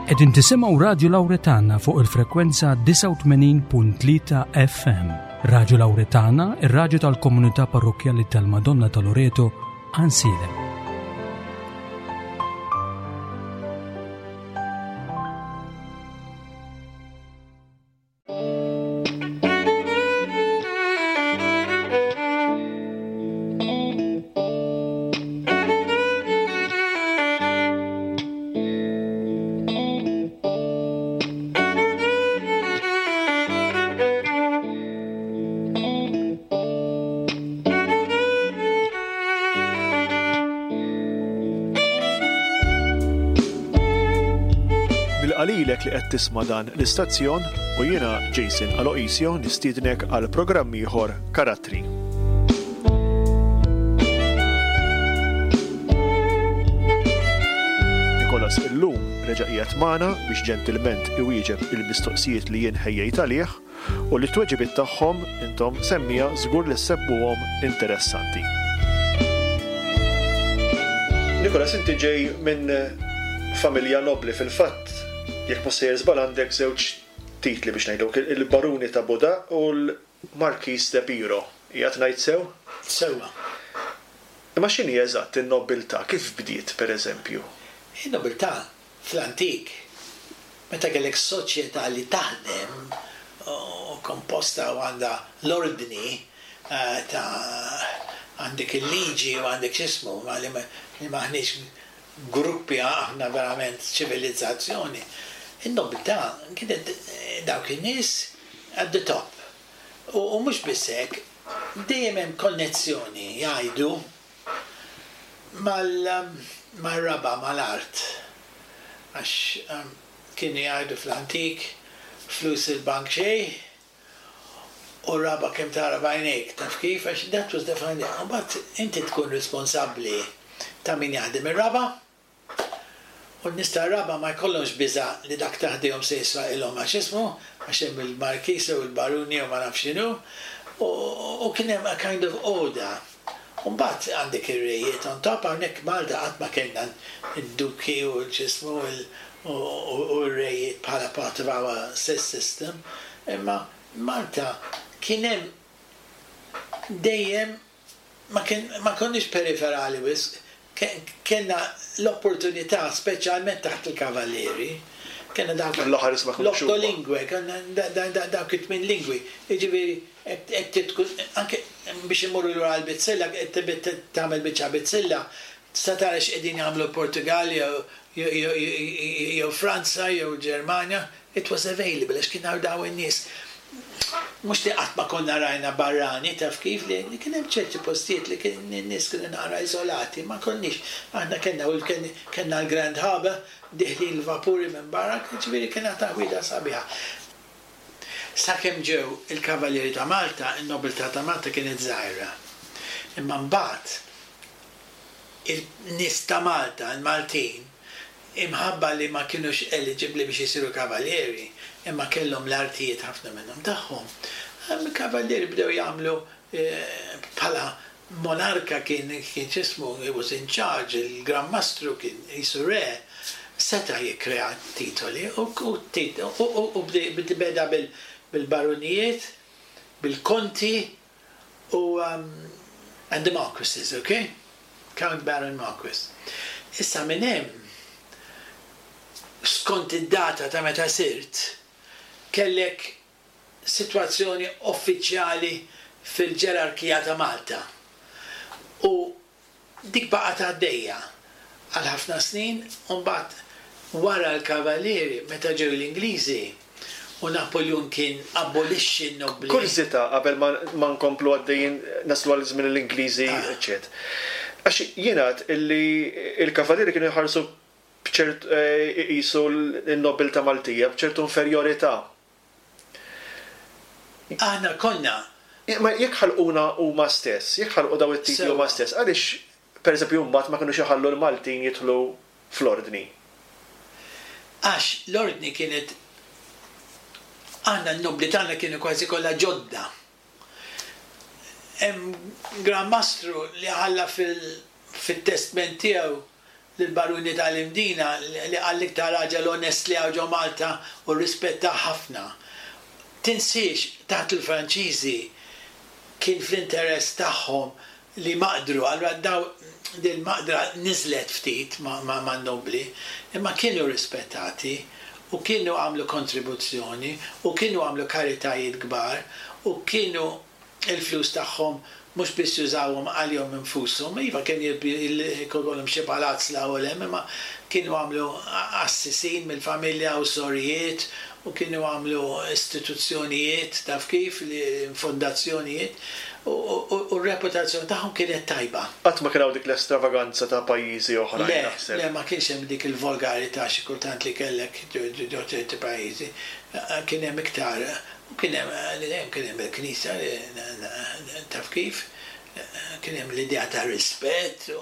Qegħdin tisimgħu Radju Lawretana fuq il-frekwenza 89.3 FM. Radju Lawretana, ir-radju tal-komunità parrokkjali tal-Madonna ta' Loreto, Ansiedem. Nilqa' lilek li qed tisma' dan l-istazzjon u jiena Jason Aloisio nistiednek għal programm ieħor Karattri. Nikolas illum reġa' qiegħed magħna biex ġentilment iwieġeb il-mistoqsijiet li jien ħejjejt għalih u li t-tweġibiet tagħhom intom semmiegħa żgur li ssebbuhom interessanti. Nicholas, inti ġej minn familja nobbli fil-fatt, jekk mhux sejjer żball għandek żewġ titli biex ngħidlek, il-Baruni ta' Buda u l-Marquis de Piro. Qiegħed ngħid sew? Sewwa. Imma x'inhi eżatt in-nobbiltà? Kif bdiet, pereżempju? In-nobiltà Fl-antik, meta kellek soċjetà li taħdem u komposta u għandha l-ordni ta' għandek il-liġi u għandek x'ismu, li m'aħniex gruppi aħna verament ċivilizzazzjoni, in-nobiltà kienet dawk in-nies at the top. U mhux biss hekk, dejjem hemm konnezzjoni jgħidu Mal-raba', mal-art. Għax kienu jgħidu fl-antik, flus il-bank xejn u raba' kemm tara b'għajnejk, taf kif? Għax that was the foundation. U mbagħad inti tkun responsabbli ta' min jaħdem ir-raba' U n-nies tar-raba' ma jkollhomx biża' li dak ta' ħdejhom se jisraqilhom għax ismu, għax hemm il-markiż jew il-barun jew ma nafx x'inhu. U kien hemm a kind of order. U mbagħad għandek ir-rejiet on top, hawnhekk Malta qatt ma kellna d-duki u l-x'ismu u r-rejiet bħala part of our system, imma Malta kien hemm dejjem ma kien, ma konniex periferali wisq, kellna l-opportunità, speċjalment taħt il-Kavallieri, kellna dawk L-aħħar isma' kienu x'huma. l-otto kellna dawk it-tmien lingwi. Jiġifieri qed tkun anke biex immorru lura għall-bizzilla, qed tagħmel biċċa bizzilla, tista' tara x'qegħdin jagħmlu l-Portugall jew Franza jew il-Ġermanja, It was available għax kien hawn dawn in-nies. Mhux li qatt ma konna rajna barrani, taf kif, li kien hemm ċerti postijiet li kien in-nies kienu naqra iżolati, ma konniex, aħna kellna u kellna l-Grand Harbour, dieħlin l-vapuri minn barra, jiġifieri kienet taħwida sabiħa. Sakemm ġew il-Kavallieri ta' Malta, in-nobiltà ta' Malta kienet żgħira. Imma mbagħad il-nies ta' Malta, il-Maltin, imħabba li ma kinux eliġibbli biex isiru kavallieri, imma kellhom l-artijiet ħafna minnhom tagħhom, il-kavallieri bdew jagħmlu bħala monarka kien kien x'ismu, he was in charge, il-Gran Mastru kien qisu re, seta' jikkrea titoli u u beda bil-barunijiet, bil-konti u and the Marquises, ok? Count Baron Marquis. Issa minn hemm, skont id-data ta' meta sirt, kellek sitwazzjoni uffiċjali fil-ġerarkija ta' Malta. U Dik baqgħet għaddejja għal ħafna snin u mbagħad wara l-Kavallieri meta ġew l-Ingliżi u Napuljun kien abolixxi n-nobbli. Kurżità qabel ma nkomplu għaddejjin naslu għal żmien l-Ingliżi eċċet. Għax jingħad illi l-Kavallieri kienu jħarsu b'ċert iqisu n-nobbiltà Maltija b'ċertu inferjorità. Aħna konna. Imma jekk ħalquna huma stess, jekk ħalqu dawn it-titli huma stess, għaliex pereżempju mbagħad ma kinux iħallu l-Maltin jidħlu fl-Ordni? Għax l-Ordni kienet aħna n-nobbli tagħna kienu kważi kollha ġodda. Hemm Gran Mastru li ħalla fil-testment tiegħu. lill-Baruni tal-Imdina li qal l-iktar raġel onest li hawn ġo Malta u rrispettah ħafna. Tinsiex taħt il-Franċiżi kien fl-interess tagħhom li jmaqdru, allura daw dil-maqdra niżlet ftit man-nobbli, imma kienu rispettati u kienu għamlu kontribuzzjoni u kienu għamlu karitajiet kbar u kienu il-flus tagħhom mhux biss jużawhom għalihom infushom, iva kien ikollhom xi palazz 'l hawn u 'l hemm, imma kienu għamlu qassisin mill-familja u sorijiet u kienu għamlu istituzzjonijiet, taf kif, fondazzjonijiet, u r-reputazzjoni tagħhom kienet tajba. Qatt ma kien hawn dik l-estravaganza ta' pajjiżi oħrajn naħseb. Le, le ma kienx hemm dik il-volgarità xi kultant li kellek ġo ċerti pajjiżi. Kien hemm iktar, u kien hemm, dejjem kien hemm il-Knisja li taf kif, kien hemm l-idea ta' rispett u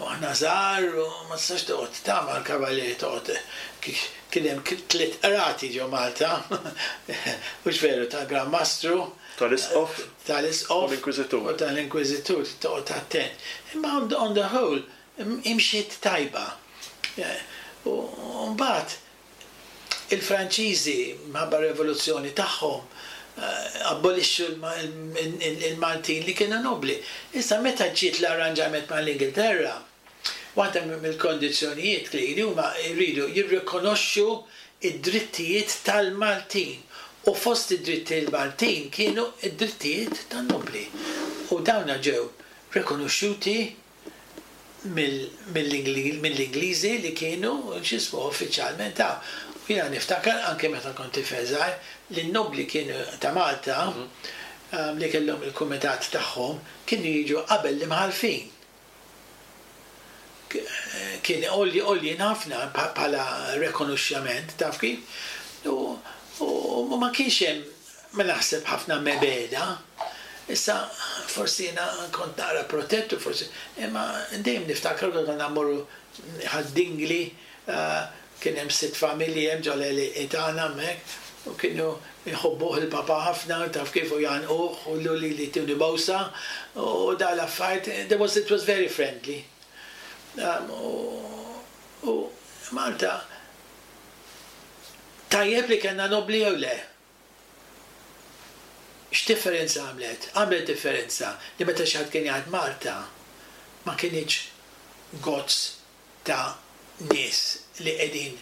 aħna żgħar u ma tistax toqgħod ta' mal-kavallieri toqgħod kien hemm tliet qrati ġo Malta, hux veru, tal-Gran Mastru, Tal-Isqof. Tal-Isqof. U l-Inkwiżitur. U tal-Inkwiżitur, trid toqgħod attent. Imma on the whole imxiet tajba. U mbagħad il-Franċiżi minħabba r-revoluzzjoni tagħhom abbolixxu l-Maltin li kienu nobbli. Issa meta ġiet l-arranġament mal-Ingilterra, waħda mill-kondizzjonijiet li huma jridu jirrikonoxxu d-drittijiet tal-Maltin u fost id-drittijiet Maltin kienu d-drittijiet tan-nobbli u dawna ġew rikonoxxuti mill-Ingliżi li kienu x'jismu uffiċjalment hawn. U jiena niftakar anke meta kont tifel żgħir li n-nobbli kienu ta' Malta li kellhom il-kumitat tagħhom kienu jiġu qabel l-imħallfin. Kien għoljin ħafna bħala rekonoxxjament, taf kif? U ma kienx hemm, ma naħseb ħafna mebegħda. Issa forsi jiena kont naqra protett u forsi, imma dejjem niftakar konna konna mmorru Ħad-Dingli, kien hemm sitt familji hemm ġo l-għelieqi tagħna hemmhekk u kienu jħobbuh il-papa ħafna taf kif u jgħannquh u lili jtuni bowsa u dawn l-affarijiet, there was, it was very friendly. U Malta tajjeb li kellna nobbli jew le? X'differenza għamlet? Għamlet differenza li meta xi ħadd kien jgħid Malta ma kinitx gozz ta' nies li qegħdin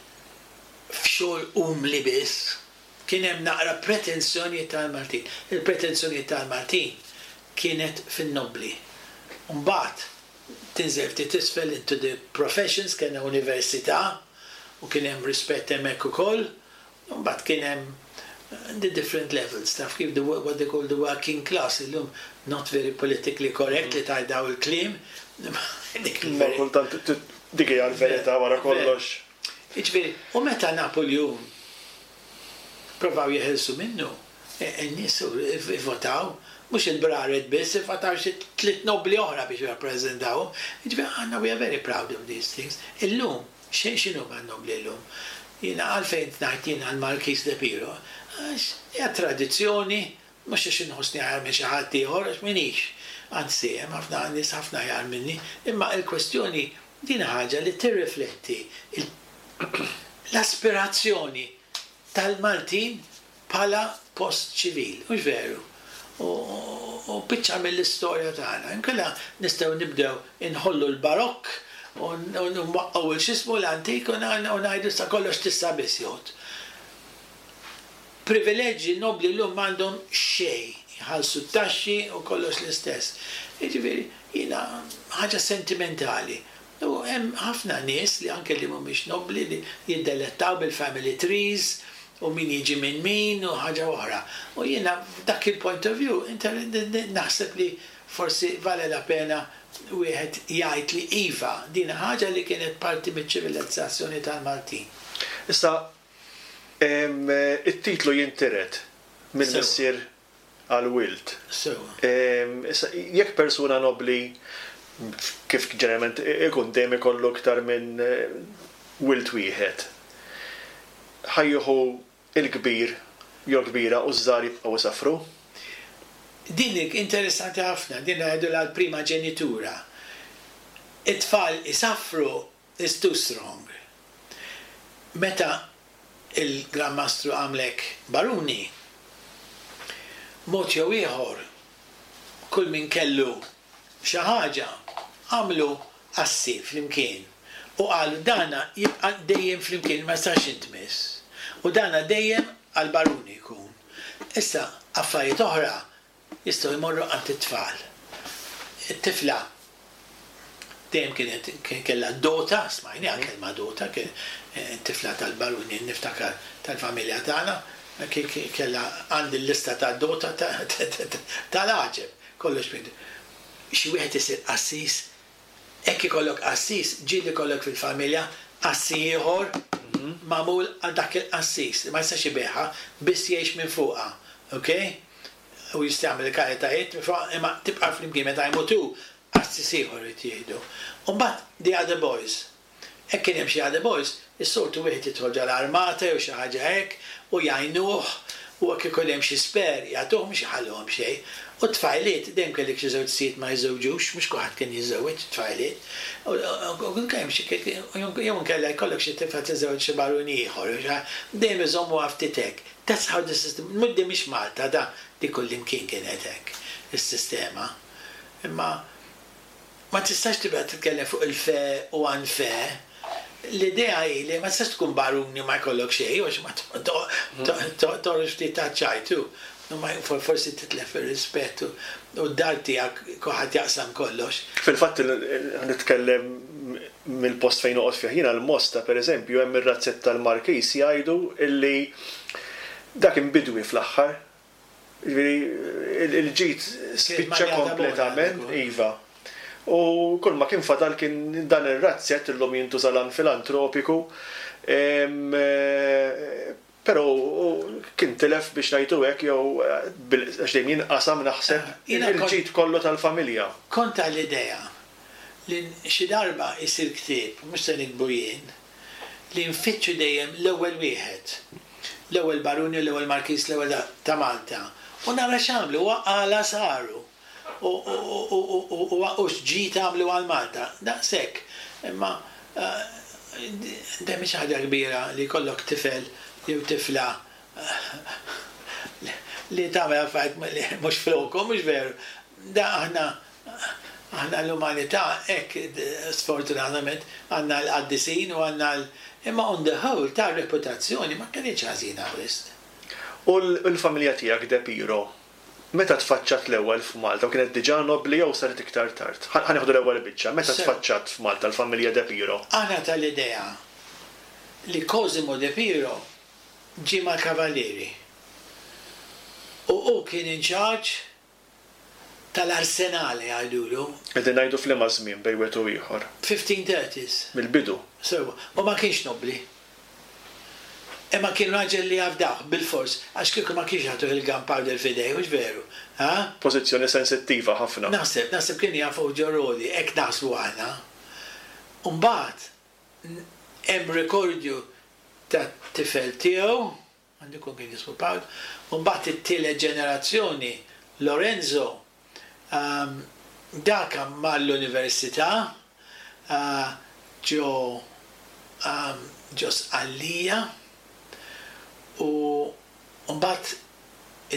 f'xogħol umli biss. Kien hemm naqra pretensjonijiet tal-Maltin. Il-pretensjonijiet tal-Maltin kienet fin-nobbli. Mbagħad tinżel ftit isfel into the professions, kellna università u kien hemm rispett hemmhekk ukoll. U mbagħad kien hemm the different levels, taf kif, the what they call the working class, illum not very politically correct li tgħid dawn il-kliem, imma dik il-verità. Imma kultant dik hija l-verità wara kollox. Jiġifieri, u meta Napuljun provaw jeħilsu minnu, in-nies ivvotaw, mhux il-braret biss, ivvotaw xi tliet nobbli oħra biex jirrappreżentawhom. Jiġifieri aħna we are very proud of these things. Illum, X'inhuma n-nobbli llum? Jiena għalfejn ngħid jiena l-Markiż de Piro? Għax hija tradizzjoni, mhux għax inħossni aħjar minn xi ħadd ieħor, għax m'iniex. Anzi, hemm ħafna nies ħafna aħjar minni. Imma l-kwestjoni din ħaġa li tirrifletti l-aspirazzjoni tal-Maltin bħala post ċivil, hux veru? U biċċa mill-istorja tagħna. Inkella nistgħu nibdew inħollu l-Barokk u nwaqqgħu il x'ismu l-antik u ngħidu issa kollox t'issa biss jgħodd. Privileġġi nobbli llum m'għandhom xejn, jħallsu t-taxxi u kollox l-istess. Jiġifieri jiena ħaġa sentimentali. U hemm ħafna nies li anke li mhumiex nobbli li jiddelettaw bil-family trees u min jiġi minn min u ħaġa oħra. U jiena f'dak il-point of view naħseb li forsi vale la pena wieħed jgħid li iva, din ħaġa li kienet parti miċ-ċivilizzazzjoni tal-Maltin. Issa, it-titlu jintiret mill-missier għall-wild. Sewwa. Issa, jekk persuna nobbli, kif ġeneralment ikun, dejjem ikollu iktar minn wild wieħed, ħa jieħu l-kbir jew l-kbira u ż-żgħar jibqgħu isaffru? Din interessanti ħafna, din ngħidulha l-prima ġenitura. It-tfal isaffru. It's too strong. Meta il-Gran Mastru għamlek baruni, mod jew ieħor kull min kellu xi ħaġa għamlu assi flimkien u qalu dana jibqa' dejjem flimkien ma jistax jintmiss u dana dejjem għall-baruni jkun. Issa affarijiet oħra jistgħu jmorru għand it-tfal. It-tifla dejjem kienet kien kellha dota, smajniha l-kelma dota, kien it-tifla tal-baruni niftakar tal-familja tagħna, kellha għandi l-lista tad-dota tal-għaġeb, kollox Xi wieħed isir qassis Hekk ikollok qassis, ġieli jkollok fil-familja qassi ieħor magħmul għal dak il-qassis li ma jistax ibigħha, biss jgħix minn fuqha. Ok? U jista' jagħmel il-karitajiet minn fuqha imma tibqa' flimkien meta jmut hu, qassis ieħor irid jieħdu. U mbagħad the other boys. Hekk kien hemm xi other boys, is-soltu wieħed jidħol ġol-armata jew xi ħaġa hekk u jgħinuh u hekk ikun hemm xi spare jagħtuh mhux iħalluhom xejn. U t-tfajliet, dejjem kellek xi żewġ sijiet ma jiżżewġux, mhux kulħadd kien jiżżewweġ it-tfajliet. U kien hemm xi jew inkella jkollok xi tifla tiżżewweġ xi barun ieħor jew xi ħaġa, dejjem iżommuha ftit hekk. That's how the system, mhux din mhix Malta da, di kullimkien kienet hekk is-sistema. Imma Ma tistax tibqa' titkellem fuq il-fair u unfair. L-idea hi li ma tistax tkun baruni u ma jkollok xejn għax ma toħroġ ftit taċ-ċajt u forsi titlef ir-rispett u d-dar tiegħek kulħadd jaqsam kollox. Fil-fatt nitkellem mill-post fejn noqgħod fih jiena l-Mosta pereżempju hemm ir-razzett tal-Markiż jgħidu illi dak inbidwi fl-aħħar. Jiġifieri il-ġid spiċċa kompletament, iva. U kull ma kien fadal kien dan ir-razzett illum jintuża l-għan filantropiku, però kien tilef biex ngħidu hekk jew għax dejjem jinqasam naħseb il-ġid kollu tal-familja. Kont tal-idea li xi darba jsir ktieb, mhux se niktbu jien, li nfittxu dejjem l-ewwel wieħed, l-ewwel baruni, l-ewwel markiż, l-ewwel ta' Malta u nara x'għamlu u għala saru u u x'ġid għamlu għal Malta. Daqshekk. Imma dejjem mhix ħaġa kbira li jkollok tifel jew tifla li tagħmel affarijiet li mhux flokhom, mhux veru. Da aħna Aħna l-umanità hekk sfortunatament għandna l-qaddisin u għandna l imma on the whole ta' reputazzjoni ma kinitx ħażina wisq. U l-familja tiegħek De Piro, meta tfaċċat l-ewwel f'Malta u kienet diġà nobbli jew saret iktar tard? Ħa nieħdu l-ewwel biċċa, meta tfaċċat f'Malta l-familja De Piro? Aħna tal-idea li Cosimo De Piro ġie mal-Kavallieri u hu kien in charge tal-arsenale jgħidulu. Qegħdin ngħidu f'liema żmien bejn wieħed u ieħor? 1530s. Mill-bidu. Sewwa. U ma kienx nobbli. Imma kien raġel li jafdawh, bilfors, għax kieku ma kienx jagħtuh il-gunpowder f'idejh, hux veru? Ha? Pożizzjoni sensittiva ħafna. Naħseb, naħseb kienu jafuh ġo Rodi, hekk naħsbu aħna. U mbagħad hemm rikordju tat-tifel tiegħu, Għandu jkun kien jismu Pawl. U mbagħad it-tielet ġenerazzjoni, Lorenzo, dak mar l-università ġo ġo Sqallija u mbagħad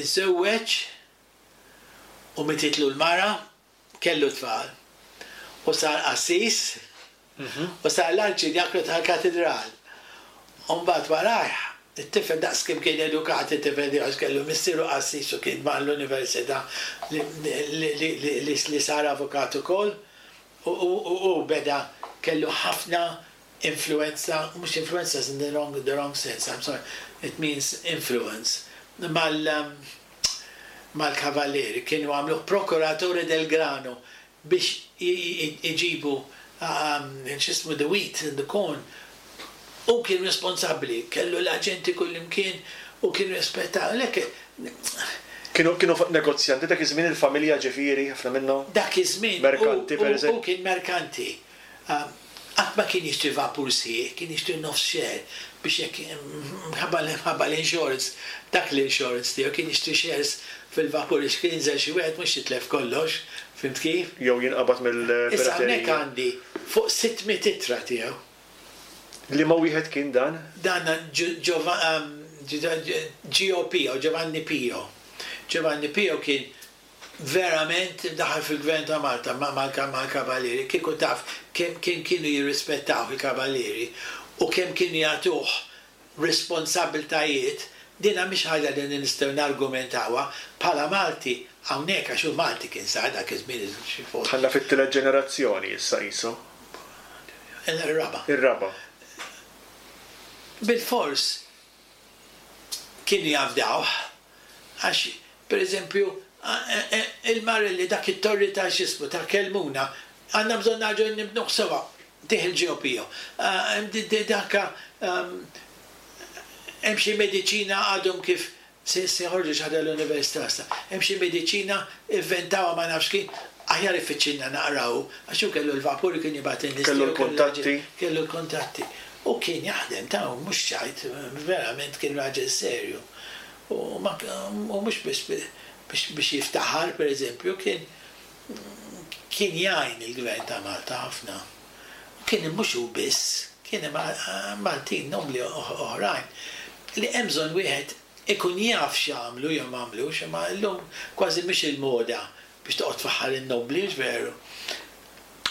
iżżewweġ u mititlu l-mara Kellu tfal u sar qassis u sar l-arċidjaknu tal-katidral. U mbagħad warajh, it-tifel daqs kemm kien edukat it-tifel tiegħu għax kellu missieru qassis u kien mar l-università li sar avukat ukoll u hu beda kellu ħafna influenza, mhux influenza is in the wrong, the wrong sense, I'm sorry, it means influence, mal mal-kavallieri, kienu għamluh procuratore del grano biex iġibu x'ismu the wheat and the corn. Hu kien responsabbli, kellu l-aġenti kullimkien u kien rispettat. Għalhekk Kienu kienu negozjanti dak iż-żmien il-familja ġifieri ħafna minnhom? Dak iż-żmien Merkanti pereżempju. Hu kien merkanti. Qatt ma kien jixtri vapur sħiħ, kien jixtri nofs share biex jekk minħabba minħabba l-insurance, dak l-insurance tiegħu kien jixtri shares fil-vapur biex kien jinżel xi wieħed mhux jitlef kollox, fhimt kif? Jew jinqabad Issa hawnhekk mill-piraterija. għandi fuq 600 ittra tiegħu. Liema wieħed kien dan? Dan Gio Pio, Giovanni Pio. Giovanni Pio kien verament daħal fil-gvern ta' Malta mal-Kavallieri. Kieku taf kemm kienu jirrispettawh il-Kavallieri u kemm kienu jagħtuh responsabbiltajiet, dina mhix ħaġa li nistgħu nargumentawha bħala Malti hawnhekk għax hu Malti kien sar dak iż-żmien xi fuq. Dħalna fit-tielet ġenerazzjoni issa qisu. Ir-raba'. Ir-raba'. Bilfors kienu jafdawh għax pereżempju il-Marelli dak it-torri ta' x'ismu ta' Kelmuna għandna bżonn nerġgħu nibnuh sewa tih il-GOPO. Dak hemm xi mediċina għadhom kif se joħorġu xi ħaġa l-università issa. Hemm xi mediċina ivventawha ma nafx kif, aħjar iffittxilna naqra hu, għax hu kellu l-vapur kien jibgħat in-nies Kellu l-kuntatti. Kellu l-kuntatti. U kien jaħdem ta' u mhux ċajt, verament kien raġel serju. U mhux biss biex jiftaħar, pereżempju, kien kien jgħin il-Gvern ta' Malta ħafna. U kien hemm mhux hu biss, kien hemm Maltin nobbli oħrajn li hemm bżonn wieħed ikun jaf x'għamlu jew m'għamlux, imma llum kważi mhix il-moda biex toqgħod tfaħħar in-nobbli, hux veru?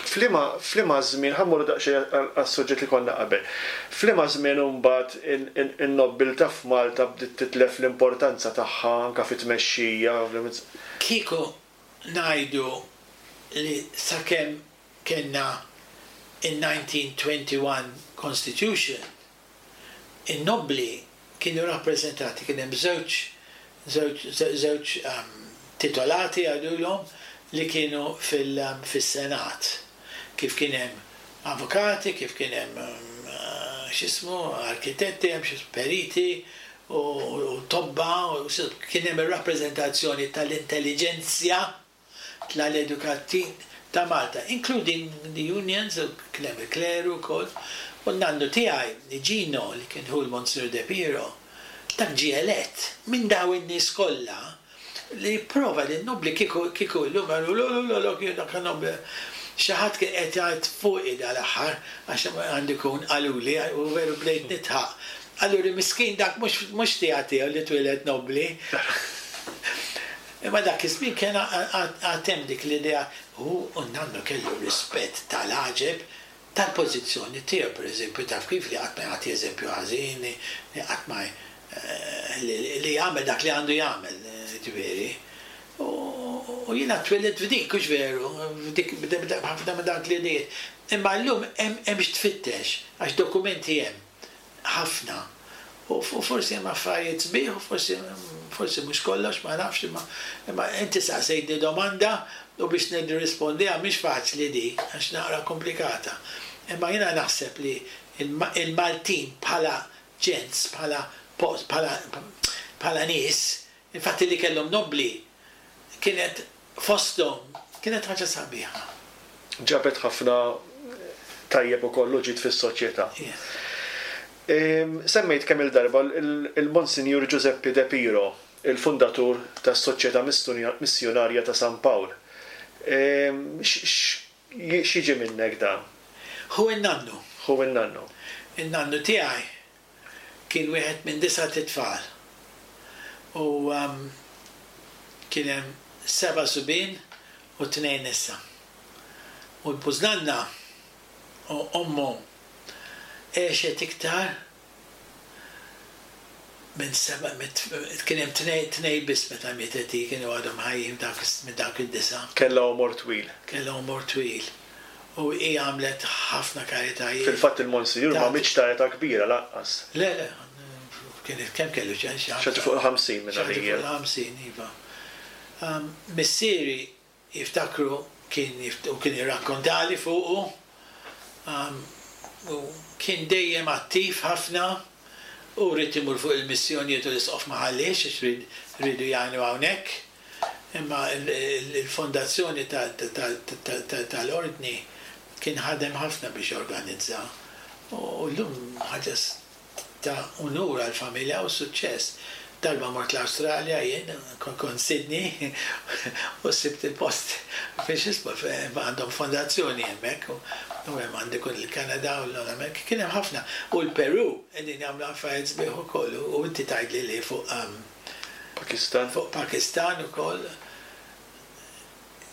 F'liema f'liema żmien, ħa mmorru daqsxejn għas-suġġett li konna qabel. F'liema żmien imbagħad in-nobbiltà f'Malta bdiet titlef l-importanza tagħha anke fit-tmexxija? Kieku ngħidu li sakemm kellna in-1921 Constitution, in-nobbli kienu rappreżentati, kien hemm żewġ żewġ żewġ titolati jgħidulhom li kienu fis-Senat. Kif kien hemm avukati, kif kien hemm x'ismu, arkitetti, hemm xi periti u tobba, kien hemm ir-rappreżentazzjoni tal-intelliġenzja tal-edukati ta' Malta, including the unions, u kien hemm il-kleru wkoll, u n-nannu tiegħi, Gino, li kien ħu l-Monsignor De Piro, dak ġie elett minn daw in-nies kollha li prova li n-nobbli kieku kieku llum jgħidu lo lo lo lo kien dak nobbli. Xi ħadd kien qed jgħid fuqi dal-aħħar għax għandu jkun qaluli u veru bdejt nidħaq. Qaluli miskin dak mhux mhux tiegħu tiegħu li twieled nobbli. Imma dak iż-żmien kien għad hemm dik l-idea u n-nannu kellu rispett tal-għaġeb tal-pożizzjoni tiegħu, pereżempju, taf kif li qatt ma jagħti eżempju ħażin, li qatt ma li jagħmel dak li għandu jagħmel, ġifieri. U jiena twilidt f'dik, hux veru, f'dik ħafna minn dawk l-idejiet. Imma llum hemm x'tfittex, għax dokumenti hemm. Ħafna. U forsi hemm affarijiet sbieħ u forsi forsi mhux kollox, ma nafx, imma imma inti saqsejtni domanda u biex nirrispondiha mhix faċli di, għax naqra komplikata. Imma jiena naħseb li il-Maltin bħala ġens, bħala post, bħala bħala nies, infatti li kellhom nobbli kienet fosthom, kienet ħaġa sabiħa. Ġabet ħafna tajjeb ukoll u ġid fis-soċjetà. Semmejt kemm-il darba il-Monsinjur Ġużeppi De Piro, il-fundatur tas-Soċjetà Missjunarja ta' San Pawl. X'jiġi minnek dan? Hu n-nannu. Hu n-nannu. In-nannu tiegħi kien wieħed minn disat itfal u kien hemm seba' subien u tnejn nisa. U l-bużnanna u ommu għexet iktar minn seba' kien hemm tnejn tnejn biss meta mietet hi kienu għadhom ħajjin minn dawk id-disgħa. Kellha għomor twil. Kellha għomor twil. U hi għamlet ħafna karitajiet. Fil-fatt il-Monsinjur ma mietx ta' età kbira lanqas. Le, le, kienet kemm kellu xi Xi ħaġa fuq il-50 minn għalija. Xi ħaġa fuq il-50, iva. Missieri jiftakru kien u kien jirrakkontali fuqu u kien dejjem attiv ħafna u ried imur fuq il-missjonijiet u l-Isqof ma ħalliex għax riedu jgħinu hawnhekk. Imma l-fondazzjoni tal-Ordni kien ħadem ħafna biex jorganizza. U llum ħaġa ta' unur għall-familja u suċċess. Darba mort l-Awstralja jien, kont Sydney, u sibt il-post fejn x'ismu għandhom fondazzjoni hemmhekk u hemm għandek il-Kanada u l-Amerika, kien hemm ħafna. U l-Peru qegħdin jagħmlu affarijiet sbieħ ukoll u inti tgħidli li fuq Pakistan. Fuq Pakistan ukoll.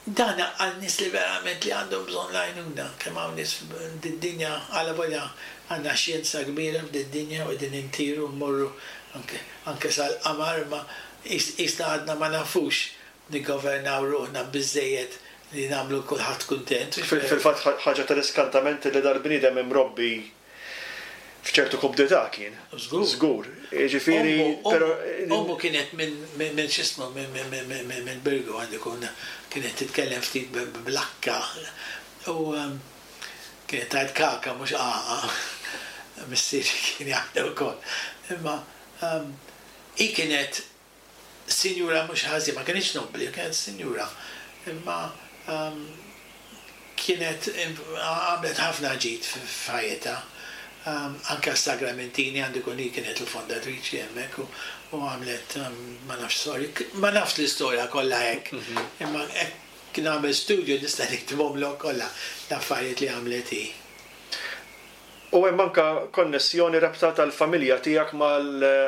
Dan għal nies li verament li għandhom bżonn l-għajnuna. Kemm hawn nies f'did-dinja, allavolja għandna xjenza kbira f'did-dinja u qegħdin intiru mmorru anke anke sal-qamar imma qisna għadna ma nafux niggovernaw ruħna biżżejjed li nagħmlu kulħadd kuntent. Fil-fatt ħaġa tal-iskantament li dal-bniedem imrobbi f'ċertu kumdità kien. Żgur. Żgur. Jiġifieri, però. Ommu kienet minn minn x'ismu minn Birgu għandu jkun kienet titkellem ftit bl-akka u kienet tgħid kaka mhux qaqa. Missieri kien jgħidha wkoll. Imma hi kienet sinjura mhux ħażin, ma kinitx nobbli, kienet sinjura, imma kienet għamlet ħafna ġid f'ħajjitha. Anke għas-Sagramentini għandu jkun hi kienet il-fondatriċi hemmhekk u għamlet ma nafx sorry, ma nafx l-istorja kollha hekk, imma hekk nagħmel studju nista' niktibhomlok kollha l-affarijiet li għamlet hi. U hemm anke konnessjoni rabta tal-familja tiegħek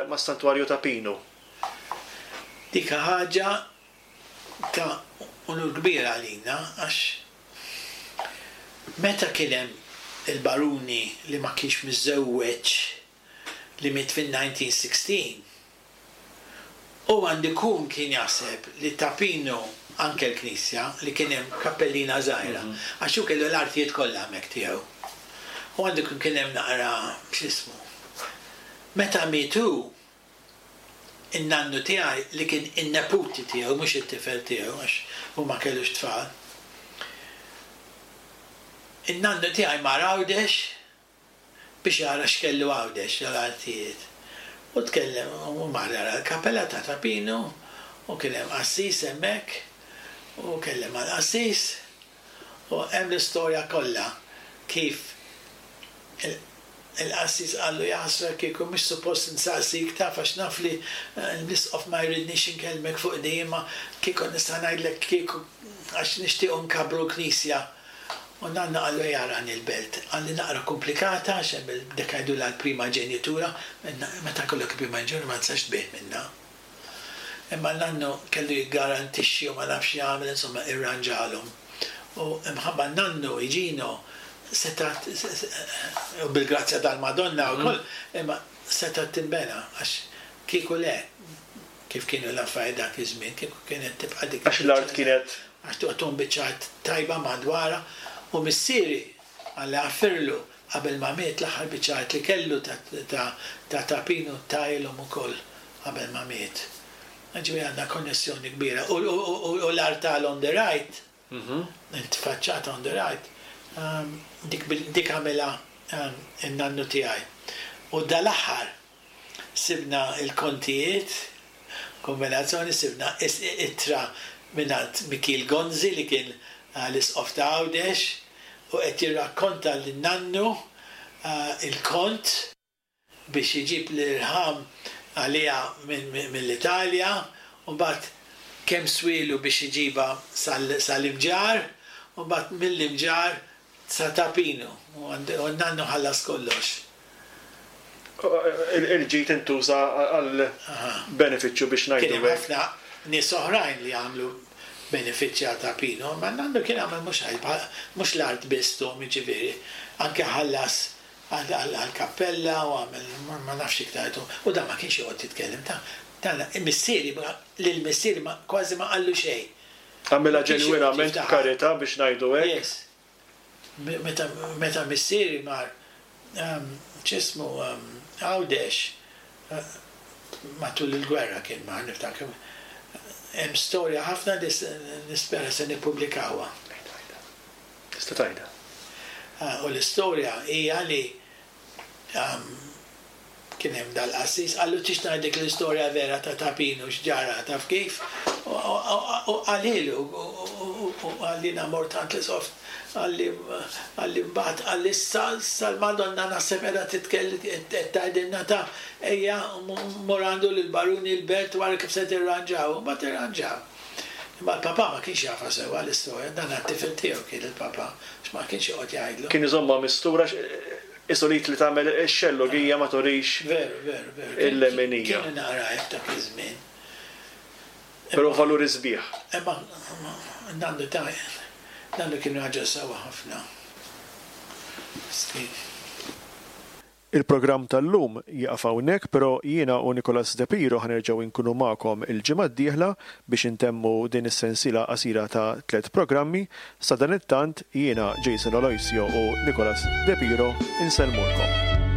mas-Santwarju ta' Pinu. Dik ħaġa ta' unur kbir għalina għax meta kien hemm il-baruni li ma kienx miżżewweġ li miet fin-1916, Hu għandu jkun kien jaħseb li Ta' Pinu anke l-knisja li kien hemm kappellina żgħira għax hu kellu l-artijiet kollha hemmhekk tiegħu. U għandu jkun kien hemm naqra x'ismu. Meta miet hu, in-nannu tiegħi li kien in-neputi tiegħu mhux it-tifel tiegħu għax hu ma kellux tfal. In-nannu tiegħi mar Għawdex biex jara x'kellu Għawdex dal-artijiet. U tkellem u mar jara l-kappella ta' Ta' Pinu u kien hemm qassis hemmhekk u kellem mal-qassis u hemm l-istorja kollha kif il-qassis qallu jaħasra kieku mhux suppost insaqsik taf għax naf li l-isqof ma jridnix inkellmek fuq din imma kieku nista' ngħidlek kieku għax nixtiequ nkabbru l-knisja U nanna qallu ejja arani l-belt. Qalli naqra komplikata għax hemm il dik jgħidulha l-prima ġenitura, meta jkollok il-prima ġenitura ma tistax tbigħ minnha. Imma nannu kellu jiggarantixxi u ma nafx x'jagħmel insomma irranġalhom. U imħabba nannu Igino setgħet u bil-grazzja tal-Madonna wkoll imma setgħet tinbena għax kieku le kif kienu l-affarijiet dak iż-żmien, kieku kienet tibqa' dik Għax l-art kienet. Għax toqgħod biċċa art tajba madwarha u missieri, Alla jaħfirlu, qabel ma miet l-aħħar biċċa art li kellu ta' ta' Ta' Pinu tahielhom ukoll qabel ma miet. Jiġifieri għandna konnessjoni kbira. U u l-artal on the right, il-faċċata on the right, dik dik għamilha n-nannu tiegħi. U dal-aħħar Sibna l-kontijiet, kombinazzjoni, sibna ittra mingħand Mikiel Gonzi li kien l-Isqof ta' Għawdex u qed jirrakkonta lin-nannu l-kont biex iġib l-irħam għaliha mill-Italja u mbagħad kemm swielu biex iġibha sal-Imġarr u mbagħad mill-Imġarr sa Ta' Pinu u n-nannu ħallas kollox. Il-ġid intuża għal benefiċċju biex ngħidu hekk. Kien hemm ħafna nies oħrajn li għamlu benefiċċji għal Ta' Pinu, imma n-nannu kien għamel mhux mhux l-art biss tuhom jiġifieri, anke ħallas għall-kappella u għamel ma nafx iktar u dan ma kienx joqgħod jitkellem ta' dan missieri lil missieri kważi ma qallu xejn. Għamilha ġenwinament b'karità biex ngħidu hekk. Yes. Meta meta missieri mar x'ismu Għawdex matul il-gwerra kien mar niftakar hemm storja ħafna li nispera se nippubblikawha. Għidha għidha. Tista' tgħidha. U l-istorja hija li Kien hemm dal-qassis, qallu tix ngħidlek l-istorja vera ta' Ta' Pinu x'ġara, taf kif? U qalilu, u qalli jiena mort għand l-Isqof, qalli, qalli mbagħad qalli issa, issa l-Madonna naħseb qiegħda titkell qed tgħidilna ta' ejja mur għandu lill-baruni l-belt u ara kif se tirranġaw. U mbagħad irranġaw. Imma l-papà ma kienx jafha sewwa l-istorja, dan għat-tifel tiegħu kien il-papà, għax ma kienx joqgħod jgħidlu. Kien iżommha mistura għax qisu li tagħmel ix-xellugija ma turix Veru, veru, veru. il-leminija. Kienu naqra hekk dak iż-żmien. Però valuri sbieħ. Imma nannu ta' nannu kien raġel sewwa ħafna. Miskin. Il-programm tal-lum jieqaf hawnhekk però jiena u Nicholas De Piro ħa nerġgħu nkunu magħkom il-ġimgħa d-dieħla biex intemmu din is-sensiela qasira ta' tlett programmi. Sadanittant jiena Jason Aloisio u Nicholas De Piro insellmulkom.